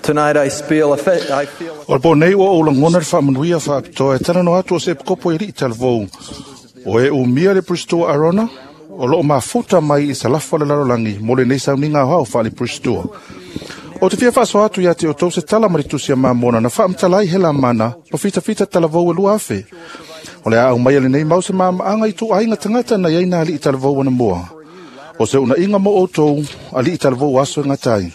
Tonight I feel a I feel O le po nei ua ou lagona le faamanuia faapitoa e talanoa atu o se epikopo e alii talavou. O e umia le Pulestoa Arona, o loo mafuta mai i salafa o le lalolagi mo lenei sauniga aoao faale-Pulestoa. Ou te fia faasoa atu ia te outou se tala ma le tusi a Mamona na faamatala ai Helamana ma fitafita talavou e 2000. O le a aumaia lenei mau se maamaaga i ituaiga tagata na i ai nā alii talavou anamua. O se uunaiga mo outou alii talavou aso e gata ai.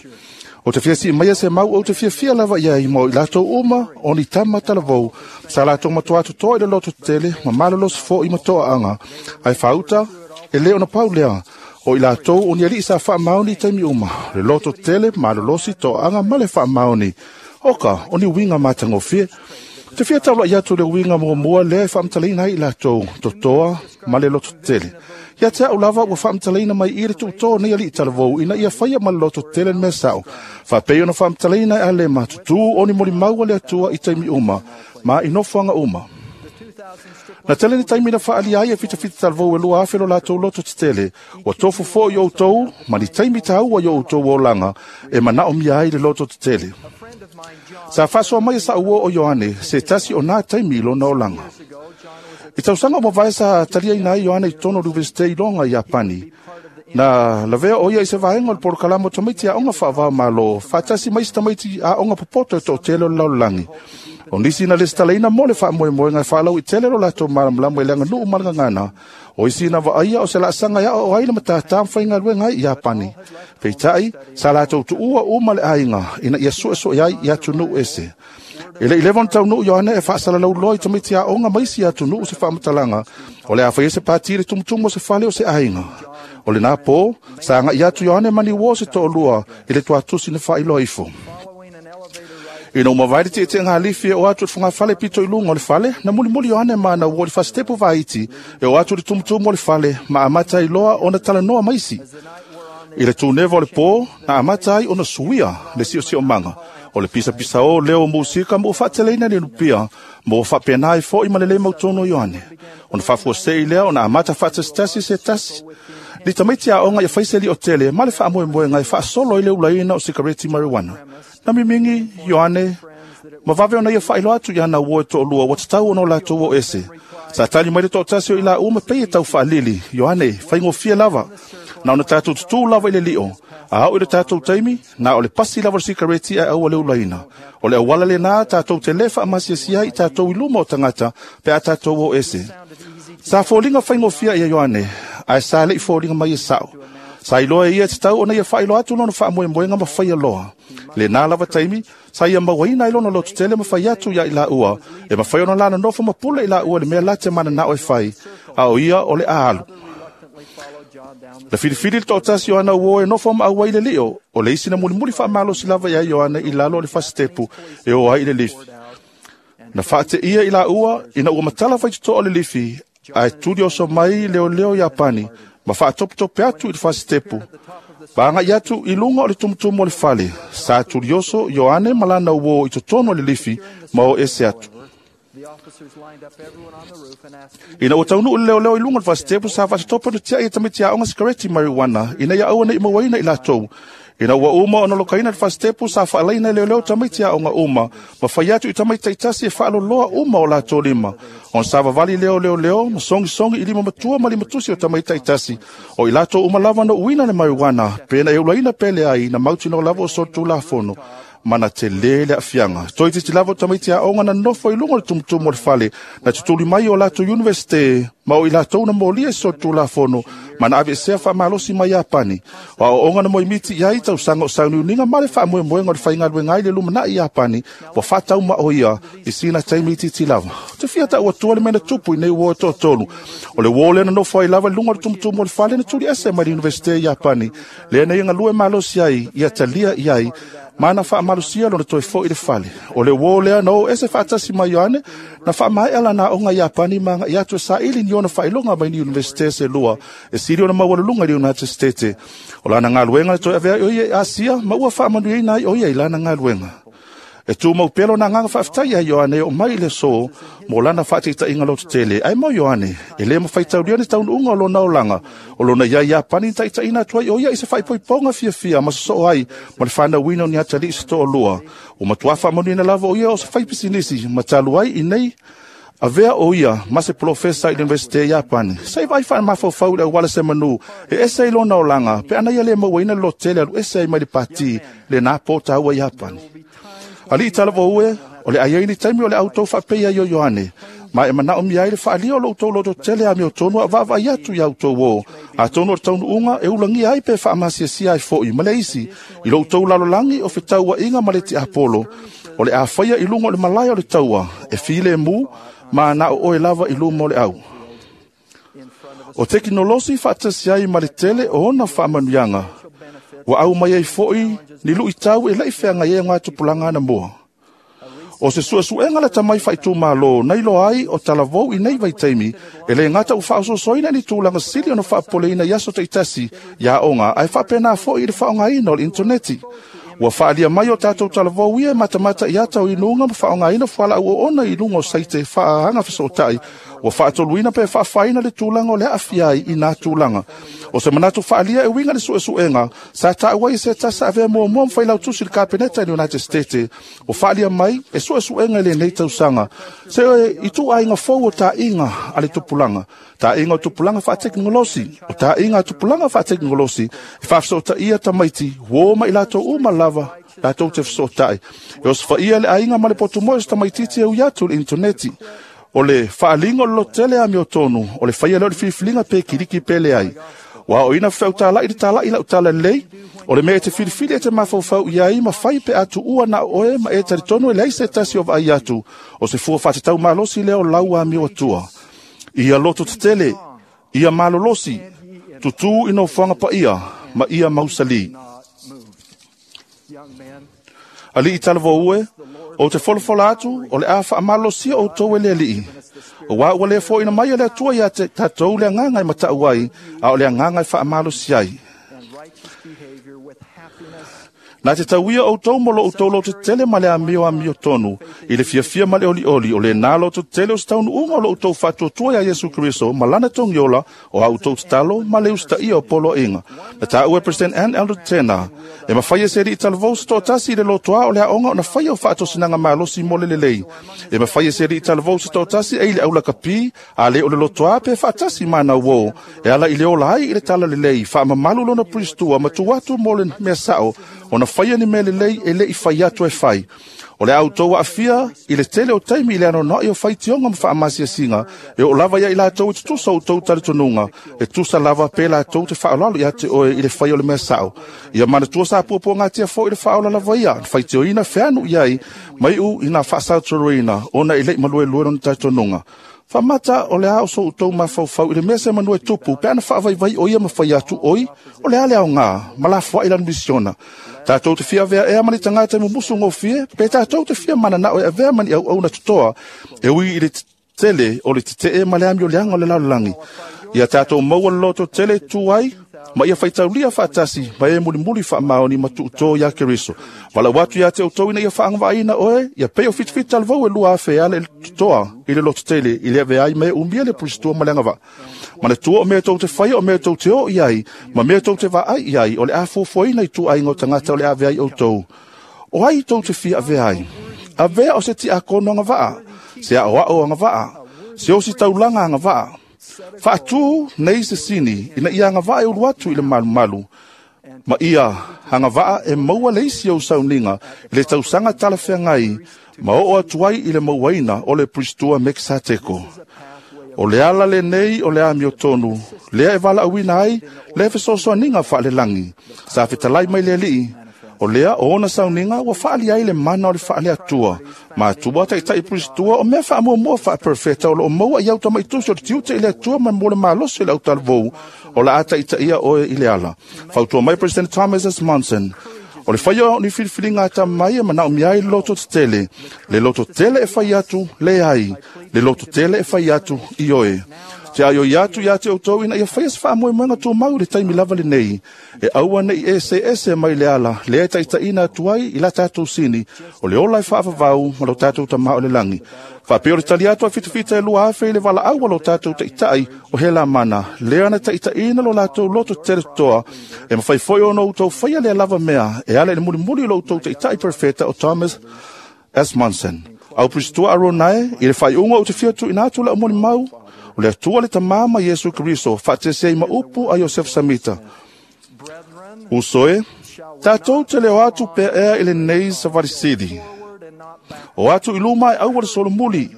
Ou te fia sii maia se mau ou te fiafia lava i ai mo i latou uma o ni tama talavou sa latou matuā totoa i le loto tetele ma malolosi foʻi ma toaaga ae faauta e lē ona pau lea o i latou o ni alii sa faamaoni i taimi uma le loto tetele malolosi toaaga ma le faamaoni oka o ni uiga matagofie. Te fia taulaʻi atu le uiga muamua lea e faamatalaina ai i latou totoa ma le loto tetele. Ia te a'u lava ua faamatalaina mai i le tuutō nei alii talavou ina ia faia ma le loto tetele le mea sa'o. Faapei ona faamatalaina e Alema tutū o ni molimau a le Atua i taimi uma ma i nofoaga uma. Na tele ni taimi na faaalia ai e fitafita talavou e 2000 lo latou loto tetele. Ua tofu foʻi outou ma ni taimi taua i o outou olaga e manaomia ai le loto tetele. Sa faasoa mai e sa'u uo o Ioane se tasi o nā taimi i lona olaga. I tausaga o mavae sa taliaina ai Ioane i totonu o le Universite i Loga i Iapani. Na lavea o ia i se vaega o le polokalama o tamaiti aoga faava-o-Malo, faatasi mai isi tamaiti aoga popoto e toatele o le lalolagi. O nisi na lesitalaina mo le faamoemoega e faalauaitele lo latou malamalama i le aganuu ma le gagana, o isi na vaaia o se laasaga e aoao ai le matatā ma faigaluega ai i Iapani. Peitai, sa latou tuua uma le aiga ina ia suesueʻe ai i atunuu ese. E le i leva ona taunuu Ioane e faasalalau loa i tamaiti aoga ma isi atunuu se faamatalaga o le a faia se pati i le tumutumu o se fale o se aiga. O lenā pō, sa agaʻi atu Ioane ma ni uō se toalua i le tuatusi na faailoa ifo. Ina ua mavae le tietieʻega lifi e oo atu i le fogafale pito i luga o le fale, na mulimuli Ioane ma ana uō i le fasitepu vaiti e oo atu i le tumutumu o le fale ma amata ai loa ona talanoa ma isi. I le tuneva o le pō, na amata ai ona suia le siosiomaga. O le pisapisaō leo o musika ma ua faateleina le lupia, ma ua faapena ai foʻi ma le lē mautonu o Ioane. Ona faafuasei lea ona amata faatasitasi se tasi ni tamaiti aoga ia fai se liʻotele ma le faamoemoega e faasolo ai le ulaina o sikareti marijuana. Na mimigi Ioane ma vave ona ia faailoa atu i ana uō e toalua ua tatau ona o latou o ese. Sa tali mai le toatasi o i laua ma pei e tau faalili, Ioane, faigofie lava. Na ona tatou tutū lava i le liʻo. A oo i le tatou taimi, na o le pasi lava o le sikareti ae aua le ulaina. O le auala lenā tatou te lē faamasiasia ai i tatou i luma o tagata pe a tatou o ese. Sa foliga faigofie ia Ioane, ae sa leʻi foliga mai e saʻo. Sa iloa e ia e tatau ona ia faailoa atu lona faamoemoega ma faia loa. Lenā lava taimi, sa ia mauaina ai lona lototele ma fai atu iā i laua, e mafai ona la nonofo ma pule i laua i le mea la te mananao e fai, a o ia o le a alu. Na filifili le toatasi o ana uō e nofo ma auai i le liʻo, o le isi na mulimuli faamalosi lava iā Ioane i lalo o le fasitepu e o ai i le lifi. Na faateia i laua ina ua matala faitotoa o le lifi, ae tuli oso mai leoleo Iapani ma faatopetope atu i le fasitepu. Ma agaʻi atu i luga o le tumutumu o le fale, sa tulioso Ioane ma lana uō i totonu o le lifi ma o ese atu. Ina ua taunuu le leoleo i luga o le fasitepu, sa faatatope ona tiaʻi e tamaiti aoga sikareti marijuana ina ia aua neʻi mauaina i latou. Ina ua uma ona lokaina le fasitepu, sa faalaina e leoleo tamaiti aoga uma ma fai atu i tamaiti taitasi e faaloloa uma o latou lima. Ona savavali lea o leoleo ma sogisogi i lima matua ma lima tusi o tamaiti taitasi. O i latou uma lava na uina le marijuana, pe na e ulaina pe leai, na mautinoa lava o solitulafono. Ma na telē le aafiaga. Toeitiiti lava o tamaiti aoga na nonofo i luga o le tumutumu o le fale, na tutuli mai o latou Universite, ma o i latou na molia i solitulafono ma na aveesea faamalosi mai Iapani. O aoaoga na moemiti i ai tausaga o sauniuniga ma le faamoemoega o le faigaluega ai le lumanai i Iapani, ua faataumaʻo ia i sina taimi itiiti lava. Ou te fia taʻu atua le mea na tupu i nei uō e toatolu. O le uō lea na nofo ai lava i luga o le tumutumu o le fale na tuli ese mai le Universite i Iapani, lea na ia galue malosi ai, ia talia i ai, ma na faamalosia lona toe foʻi i le fale. O le uō lea na o ese faatasi ma Ioane, na faamaea lana aoga i Iapani ma agaʻi atu e saili ni ona faailoga mai ni Universite se lua e sili ona maualuluga i le United States. O lana galuega na toe avea ai o ia i Asia ma ua faamanuiaina ai o ia i lana galuega. E tumau pea lona agaga faafetai ia Ioane e oo mai i le aso mo lana faataitaiga lototele. Ae mo Ioane, e lē mafaitaulia ni taunuuga o lona olaga o lona iai Iapani na taitaiina atu ai o ia i se faaipoipoga fiafia ma sosoo ai ma le fanauina o ni atalii se toalua. Ua matuā faamanuiaina lava o ia o se faipisinisi ma talu ai i nei avea o ia ma se polofesa i le Iunivesite i Iapani. Se i vaai faamafaufau i le auala se manu e ese ai lona olaga pe ana ia le mauaina le lototele alu ese ai mai le pati lena pō taua i Iapani. Alii talavou e, o le a i ai ni taimi o le a outou faapei ai o Ioane, ma e manaomia ai le faaalia o lo outou lototele amiotonu a vaavaai atu iā outou ō, atonu o le taunuuga e ulagia ai pe faamasiasia ai foi ma le isi i lo outou lalolagi o fetauaiga ma le tiapolo, o le a faia i luga o le malae o le taua e filemu ma na o oe lava i luma o le au. O tekinolosi faatasi ai ma le tele o ona faamanuiaga, ua aumai ai foi ni luitau e le'i feagai ai ogatupulaga anamua. O se suesuega lata mai faaitumālō na iloa ai o talavou i nei vaitaimi e lē gata ua faaososoina ni tulaga sili ona faapopoleina i aso taitasi i aoga ae faapena foi i le faaaogaina o le initoneti. Ua faaalia mai o tatou talavou ia e matamata i ata o inuga ma faaaogaina fualaau oona i luga o saite faaagaga fesootai, ua faatoluina pe faafaina le tulaga o le aafia ai i nā tulaga. O se manatu faaalia e uiga i le suesuega sa taua ai e se tasi sa avea muamua ma failautusi i le Kapeneta i le United States, ua faaalia mai e suesuega i lenei tausaga se ituaiga fou o taaiga a le tupulaga, taaiga o tupulaga faatekonolosi, o taaiga a tupulaga faatekonolosi e faafesootaia tamaiti uō ma i latou uma lava latou te fesootai. E osofaia le aiga ma le potumoe o se tamaitiiti e ui atu i le initoneti. O le faaaliga o le lototele amiotonu, o le faia lea o le filifiliga pe kiliki pe leai. Ua aoaoina fefaeutala'i le tala'i lau tala lelei, o le mea e te filifili e te mafaufau i ai ma fai pe a tuua na o oe ma e talitonu e leai se tasi o vaai atu, o se fua faatatau malosi lea o lau amio atua. Ia lototetele, ia malolosi, tutū i nofoaga paia ma ia mausalī. Alii talavou e, ou te folafola atu o le a faamalosia outou e le Alii, auā ua le foaina mai e le Atua iā tatou le agaga e matau ai, a o le agaga e faamalosi ai. Na te tauia outou mo lo outou lototetele ma le amio amiotonu i le fiafia ma le olioli, o lenā lototetele o se taunuuga o lo outou faatuatua iā Iesu Keriso ma lana togiola o a outou tatalo ma le usitaia o poloaiga. Na taua e President Ann Eldred Tena, e mafai e se alii talavou se toatasi i le lotoā o le aoga ona faia o faatosinaga malosi mo le lelei. E mafai e se alii talavou se toatasi e i le aulakapi, a le o le lotoā pe faatasi ma ana uō, e ala i le ola ai i le talalelei, faamamalu lona pulistua ma tuu atu mo le mea sao, ona faia ni mea lelei e le'i fai atu e fai. O le a outou aafia i le tele o taimi i le anoanoai o faitioga ma faamasiasiga e oo lava ia i latou i tutusa o outou talitonuga, e tusa lava pe latou te faaaloalo ia te oe i le faia o le mea sao. Ia manatua sa puapuagatia foi le faaola lava ia, na faitioina feanu i ai, ma iu ina faasautoloina ona e le'i maluelue lona talitonuga. Faamata o le a o so outou mafaufau i le mea se manu e tupu pe ana faavaivai o ia ma fai atu, oi, o le a le aogā, ma lafoai lana misiona. Tatou te fia avea ea ma ni tagata e mumusu gofie, pe tatou te fia mananao e avea ma ni auauna totoa, e ui i le tele o le tetee ma le amioleaga o le lalolagi. Ia tatou maua le loto tele e tu ai, ma ia faitaulia faatasi ma e mulimuli faamaoni ma tuutō iā Keriso. Valaau atu ia te outou ina ia faagavaaina oe, ia pei o fitafita talavou e 2,000 e ala i le totoa i le lototele i le avea ai ma e umia le pulistua ma le agavaa. Manatua o mea tou te faia, o mea tou te o i ai, ma mea tou te vaai i ai, o le a fuafuaina i ituaiga o tagata o le a avea ai outou. O ai tou te fia avea ai? Avea o se tiakono agavaa, se aoao agavaa, se ositaulaga agavaa. Faatū nei se sini ina ia agavaa e ulu atu i le malumalu, ma ia agavaa e maua le isi ou sauniga i le tausaga talafeagai ma oo atu ai i le mauaina o le pulistua Mekisateko. O le ala lenei o le amiotonu, lea e valaauina ai le fesoasoaniga faalelagi. Sa fetalai mai le Alii, o lea o ona sauniga ua faaalia ai le mana o le faaleatua. Matua taitai pulistua o mea faamuamua faaperofeta o loo maua i au tamaitusi o le tiute i le Atua ma mo le malosi o le autalavou, o le a taitaia oe i le ala. Fautua mai President Thomas S. Monson, o le faia o ni filifiliga a mai e manaomia ai le lototetele, le lototele e fai atu leai, le lototele e fai atu ioe. Te aio i atu ia te outou ina ia faia se faamoemoega tumau i le taimi lava lenei, e aua nei ese ese mai le ala, lea e taitaiina atu ai i la tatou sini, o le ola e faavavau ma lo tatou Tamā o le lagi. Faapea o le tali atu a fitafita e 2000 i le valaau a lo tatou taitai o Helamana, lea na taitaiina lo latou loto tetele toa, e mafai foi ona outou faia lea lava mea, e ala i le mulimuli o lo outou taitai perfeta o Thomas S. Monson. Au Pristua Aronae, i le faaiuga ou te fia tuuina atu lau molimau, o le Atua le Tamā ma Iesu Keriso, faatasi ai ma upu a Iosefo Samita. Uso e, tatou te le o atu pea ea i lenei savali sili. O atu i luma e aua le solomuli,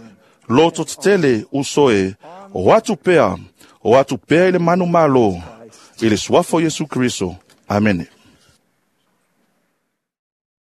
loto tetele uso e, o atu pea i le manu malo, i le suafa o Iesu Keriso. Amene.